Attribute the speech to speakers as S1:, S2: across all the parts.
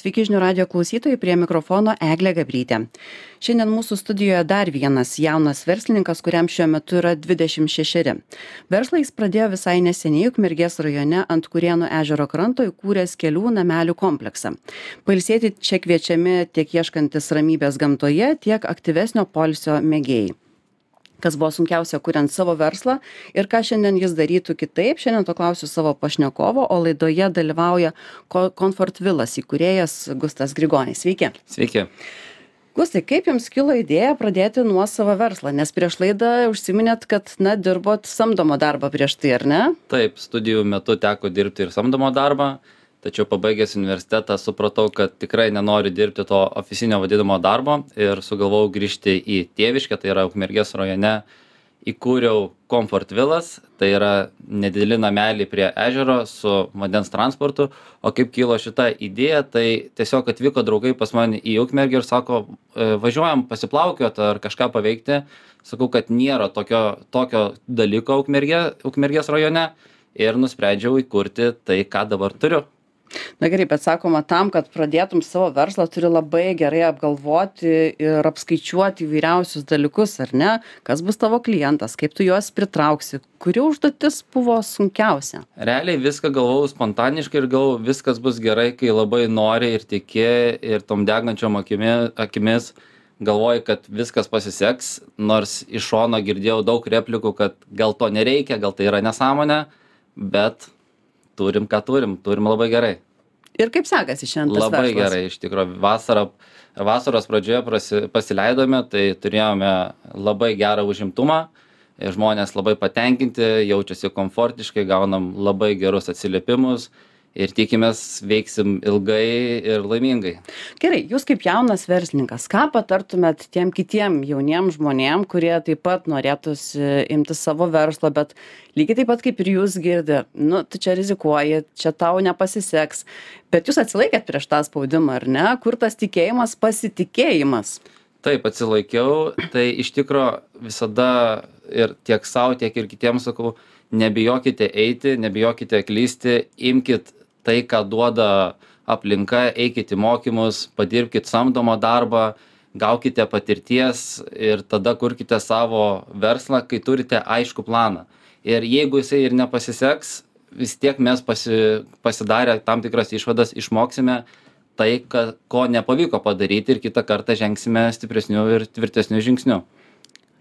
S1: Sveiki žinių radijo klausytojai, prie mikrofono Eglė Gabrytė. Šiandien mūsų studijoje dar vienas jaunas verslininkas, kuriam šiuo metu yra 26. Verslą jis pradėjo visai neseniai Ukmergės rajone ant Kurėnų ežero kranto įkūręs kelių namelių kompleksą. Pailsėti čia kviečiami tiek ieškantis ramybės gamtoje, tiek aktyvesnio poilsio mėgėjai. Kas buvo sunkiausia kuriant savo verslą ir ką šiandien jis darytų kitaip, šiandien to klausiu savo pašnekovo, o laidoje dalyvauja Comfort Villas įkūrėjas Gustas Grigonis. Sveiki.
S2: Sveiki.
S1: Gustai, kaip jums kilo idėja pradėti nuosavą verslą? Nes prieš laidą užsiminėt, kad dirbot samdomą darbą prieš tai, ar ne?
S2: Taip, studijų metu teko dirbti ir samdomą darbą, tačiau pabaigęs universitetą supratau, kad tikrai nenoriu dirbti to ofisinio vadinamo darbo ir sugalvojau grįžti į tėviškę, tai yra Ukmergės rajone. Įkūriau Comfort Villas, tai yra nedideli nameliai prie ežero su vandens transportu. O kaip kilo šita idėja, tai tiesiog atvyko draugai pas mane į Ukmergę ir sako, važiuojam pasiplaukiot ar kažką paveikti. Sakau, kad nėra tokio dalyko Ukmergės rajone ir nusprendžiau įkurti tai, ką dabar turiu.
S1: Na gerai, bet sakoma, tam, kad pradėtum savo verslą, turi labai gerai apgalvoti ir apskaičiuoti įvairiausius dalykus, ar ne? Kas bus tavo klientas, kaip tu juos pritrauksi, kuri užduotis buvo sunkiausia?
S2: Realiai viską galvojau spontaniškai ir galvojau, viskas bus gerai, kai labai nori ir tiki ir tom degančiom akimis galvoji, kad viskas pasiseks, nors iš šono girdėjau daug replikų, kad gal to nereikia, gal tai yra nesąmonė, bet turim, ką turim labai gerai.
S1: Ir kaip sekasi šiandien tas verslas?
S2: Labai gerai, iš tikrųjų. Vasaros pradžioje pasileidome, tai turėjome labai gerą užimtumą, žmonės labai patenkinti, jaučiasi komfortiškai, gaunam labai gerus atsiliepimus ir tikimės veiksim ilgai ir laimingai.
S1: Gerai, jūs kaip jaunas verslininkas, ką patartumėt tiem kitiem jauniem žmonėm, kurie taip pat norėtųsi imti savo verslo, bet lygiai taip pat kaip ir jūs girdi, tu čia rizikuoji, čia tau nepasiseks, bet jūs atsilaikėt prieš tą spaudimą, ar ne? Kur tas tikėjimas, pasitikėjimas?
S2: Taip, atsilaikiau, tai iš tikro visada ir tiek savo, tiek ir kitiems sakau, nebijokite eiti, nebijokite klysti, imkit tai, ką duoda aplinka, eikit į mokymus, padirbkit samdomą darbą, gaukite patirties ir tada kurkite savo verslą, kai turite aišku planą. Ir jeigu jisai ir nepasiseks, vis tiek mes pasidarę tam tikras išvadas išmoksime tai, ko nepavyko padaryti ir kitą kartą žengsime stipresnių ir tvirtesnių žingsnių.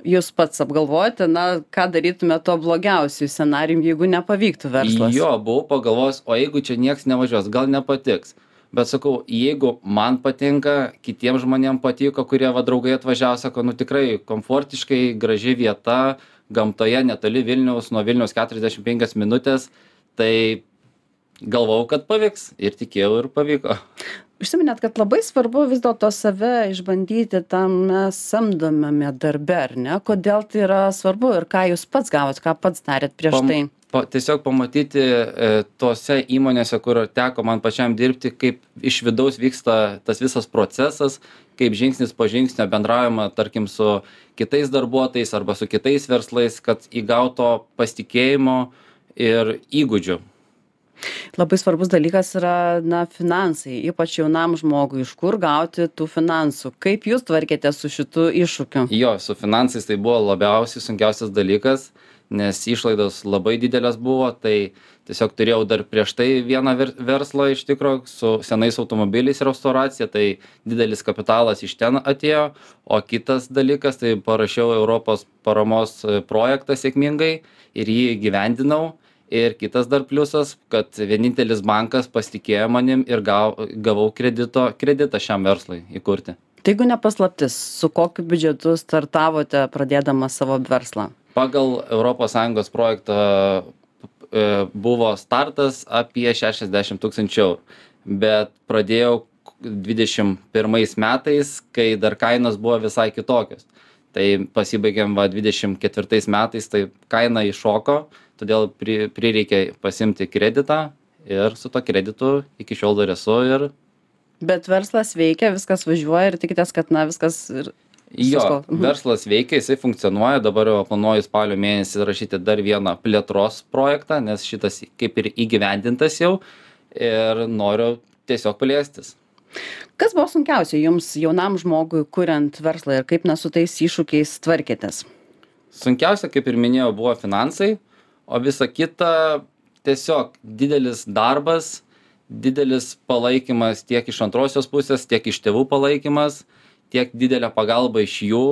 S1: Jūs pats apgalvojate, ką darytume to blogiausių scenarijų, jeigu nepavyktų verslas?
S2: Jo, buvau pagalvojęs, o jeigu čia nieks nevažiuos, gal nepatiks. Bet sakau, jeigu man patinka, kitiems žmonėms patiko, kurie draugai atvažiavo, sako, tikrai komfortiškai, graži vieta, gamtoje netoli Vilniaus, nuo Vilniaus 45 minutės, tai galvojau, kad pavyks ir tikėjau ir pavyko.
S1: Užsiminėt, kad labai svarbu vis dėlto save išbandyti tame samdomame darbe, ar ne? Kodėl tai yra svarbu ir ką jūs pats gavot, ką pats darėt prieš tai?
S2: Tiesiog pamatyti tose įmonėse, kur teko man pačiam dirbti, kaip iš vidaus vyksta tas visas procesas, kaip žingsnis po žingsnio bendraujama, tarkim, su kitais darbuotojais arba su kitais verslais, kad įgauto pasitikėjimo ir įgūdžių.
S1: Labai svarbus dalykas yra finansai, ypač jaunam žmogui, iš kur gauti tų finansų. Kaip jūs tvarkėte su šitu iššūkiu?
S2: Jo, su finansais tai buvo labiausiai sunkiausias dalykas, nes išlaidos labai didelės buvo, tai tiesiog turėjau dar prieš tai vieną verslą iš tikro su senais automobiliais restauracija, tai didelis kapitalas iš ten atėjo, o kitas dalykas, tai parašiau Europos paramos projektą sėkmingai ir jį įgyvendinau. Ir kitas dar pliusas, kad vienintelis bankas pasitikėjo manim ir gavau kreditą šiam verslui įkurti.
S1: Tai jeigu nepaslaptis, su kokiu biudžetu startavote pradėdama savo verslą?
S2: Pagal ES projektą buvo startas apie 60 000 €, bet pradėjau 21 metais, kai dar kainos buvo visai kitokios. Tai pasibaigėm 24 metais, tai kaina iššoko, todėl prireikė pasimti kreditą ir su to kreditu iki šiol dar esu.
S1: Bet verslas veikia, viskas važiuoja ir tikitės, kad viskas
S2: Jo, verslas veikia, jisai funkcionuoja, dabar jau planuoju spalio mėnesį rašyti dar vieną plėtros projektą, nes šitas kaip ir įgyvendintas jau ir noriu tiesiog plėstis.
S1: Kas buvo sunkiausia jums, jaunam žmogui, kuriant verslą ir kaip su tais iššūkiais tvarkėtės?
S2: Sunkiausia, kaip ir minėjau, buvo finansai, o visa kita tiesiog didelis darbas, didelis palaikymas tiek iš antrosios pusės, tiek iš tėvų palaikymas, tiek didelė pagalba iš jų.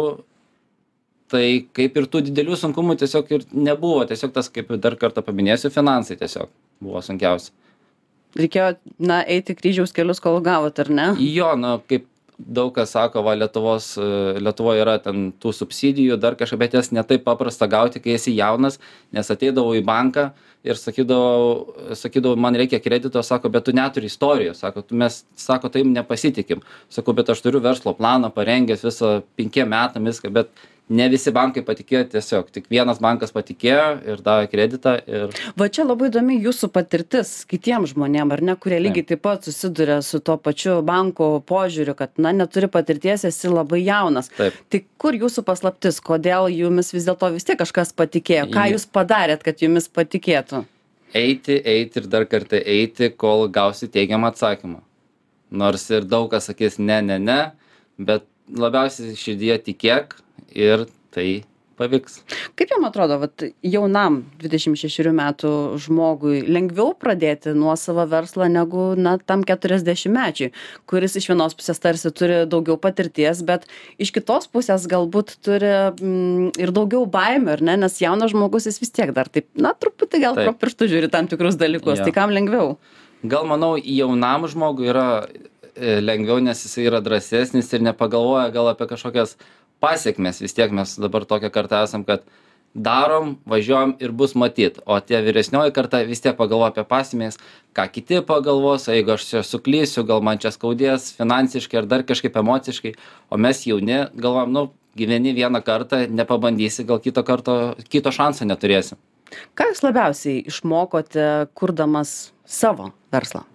S2: Tai kaip ir tų didelių sunkumų tiesiog ir nebuvo. Tiesiog tas, kaip dar kartą paminėsiu, finansai tiesiog buvo sunkiausia.
S1: Reikėjo, eiti kryžiaus kelius, kol gavot, ar ne?
S2: Jo, kaip daug kas sako, Lietuvoje yra ten tų subsidijų, dar kažkaip, bet jas ne taip paprasta gauti, kai esi jaunas, nes ateidavau į banką ir sakydavau, man reikia kredito, sako, bet tu neturi istorijos, sako, mes, taip nepasitikim. Sakau, bet aš turiu verslo planą parengęs visą 5 metam viską, bet ne visi bankai patikėjo tiesiog, tik vienas bankas patikėjo ir davė kreditą.
S1: Va čia labai įdomi jūsų patirtis kitiems žmonėm, ar ne, kurie lygiai taip pat susiduria su tuo pačiu banko požiūriu, kad, neturi patirties, esi labai jaunas.
S2: Taip.
S1: Tai kur jūsų paslaptis, kodėl jumis vis dėlto vis tiek kažkas patikėjo? Ką jūs padarėt, kad jumis patikėtų?
S2: Eiti ir dar kartą eiti, kol gausi teigiamą atsakymą. Nors ir daug kas sakys ne, bet labiausiai širdyje tikėk ir tai pavyks.
S1: Kaip jums atrodo, jaunam 26 metų žmogui lengviau pradėti nuosavą verslą negu tam 40-mečiui, kuris iš vienos pusės tarsi turi daugiau patirties, bet iš kitos pusės galbūt turi ir daugiau baimių, ar ne? Nes jaunas žmogus jis vis tiek dar taip, truputį gal pro pirštų žiūri tam tikrus dalykus. Ja. Tai kam lengviau?
S2: Gal manau, jaunam žmogui yra lengviau, nes jis yra drąsesnis ir nepagalvoja gal apie kažkokias pasiekmes. Vis tiek mes dabar tokią kartą esam, kad darom, važiuojam ir bus matyt. O tie vyresnioji karta vis tiek pagalvoja apie pasiekmes, ką kiti pagalvos, jeigu aš čia suklysiu, gal man čia skaudės finansiškai ar dar kažkaip emociškai. O mes jauni galvojam, gyveni vieną kartą, nepabandysi, gal kito šanso neturėsi.
S1: Ką jūs labiausiai išmokote, kurdamas savo verslą?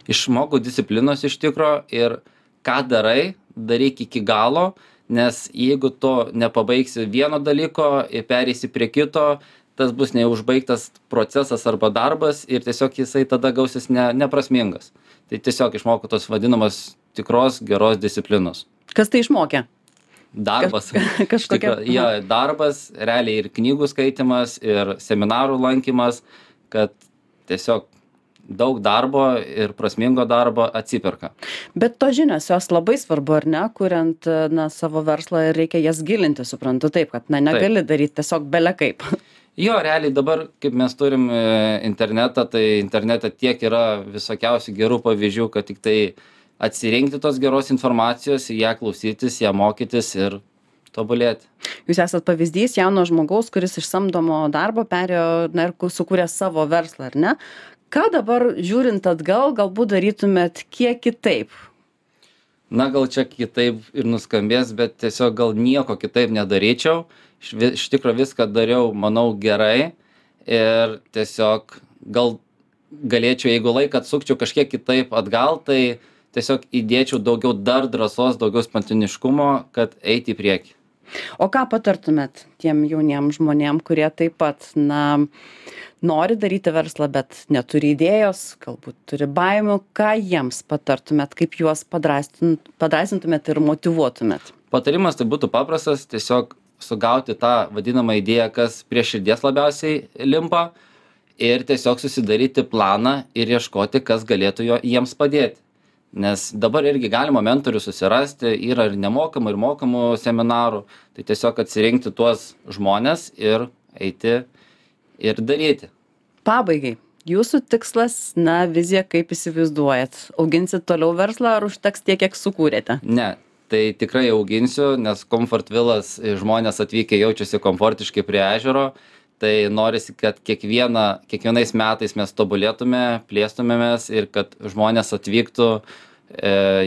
S2: Išmokau disciplinos iš tikro ir ką darai, daryk iki galo. Nes jeigu tu nepabaigsi vieno dalyko ir pereisi prie kito, tas bus neužbaigtas procesas arba darbas ir tiesiog jisai tada gausis neprasmingas. Tai tiesiog išmokau tos vadinamos tikros geros disciplinos.
S1: Kas tai išmokė?
S2: Darbas.
S1: Kažkokia.
S2: Jo, darbas, realiai ir knygų skaitimas, ir seminarų lankymas, kad tiesiog daug darbo ir prasmingo darbo atsiperka.
S1: Bet to žinios, jos labai svarbu, ar ne, kuriant savo verslą ir reikia jas gilinti, suprantu taip, kad negali daryti tiesiog bele kaip.
S2: Jo, realiai dabar, kaip mes turim internetą, tai internete tiek yra visokiausių gerų pavyzdžių, kad tik tai atsirinkti tos geros informacijos, ją klausytis, ją mokytis ir tobulėti.
S1: Jūs esat pavyzdys jauno žmogaus, kuris iš samdomo darbo perėjo ir sukūrė savo verslą, ar ne? Ką dabar žiūrint atgal, galbūt darytumėt kiek kitaip?
S2: Gal čia kitaip ir nuskambės, bet tiesiog gal nieko kitaip nedaryčiau. Iš tikro viską dariau, manau, gerai. Ir tiesiog galėčiau, jeigu laiką atsukčiau kažkiek kitaip atgal, tai tiesiog įdėčiau daugiau dar drąsos, daugiau spontaniškumo, kad eiti į priekį.
S1: O ką patartumėt tiem jauniem žmonėm, kurie taip pat, nori daryti verslą, bet neturi idėjos, galbūt turi baimių, ką jiems patartumėt, kaip juos padrąsintumėt ir motyvuotumėt?
S2: Patarimas tai būtų paprastas, tiesiog sugauti tą vadinamą idėją, kas prie širdies labiausiai limpa ir tiesiog susidaryti planą ir ieškoti, kas galėtų jiems padėti. Nes dabar irgi galima mentorių susirasti, yra ir nemokamų, ir mokamų seminarų, tai tiesiog atsirinkti tuos žmonės ir eiti ir daryti.
S1: Pabaigai, jūsų tikslas, vizija, kaip įsivaizduojat? Auginsit toliau verslą ar užteks tiek, kiek sukūrėte?
S2: Ne, tai tikrai auginsiu, nes Comfort Villas žmonės atvykę jaučiasi komfortiškai prie ežero, tai norisi, kad kiekvienais metais mes tobulėtume, plėstumėmės ir kad žmonės atvyktų,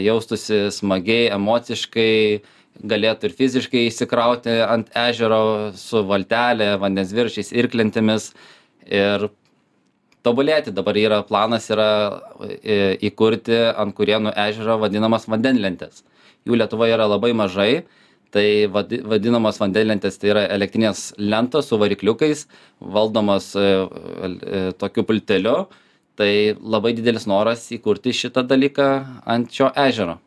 S2: jaustųsi smagiai, emociškai, galėtų ir fiziškai įsikrauti ant ežero su valtelė, vandens viršiais, irklentėmis ir tobulėti. Dabar planas yra įkurti ant Kurėnų ežero vadinamas vandenlentės. Jų Lietuvoje yra labai mažai. Tai vadinamos vandenlentės, tai yra elektrinės lentos su varikliukais, valdomos tokiu pulteliu. tai labai didelis noras įkurti šitą dalyką ant šio ežero.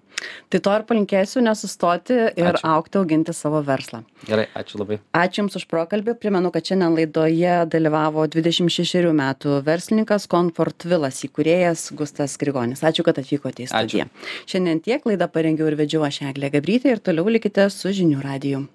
S1: Tai to ir palinkėsiu nesustoti ir
S2: Ačiū.
S1: augti, auginti savo verslą.
S2: Gerai, ačiū labai.
S1: Ačiū Jums už pokalbį. Primenu, kad šiandien laidoje dalyvavo 26 metų verslininkas Comfort Villas įkūrėjas Gustas Grigonis. Ačiū, kad atvykote į studiją. Šiandien tiek, laidą parengiau ir vedžiau aš Eglė Gabrytė ir toliau likite su žinių radiju.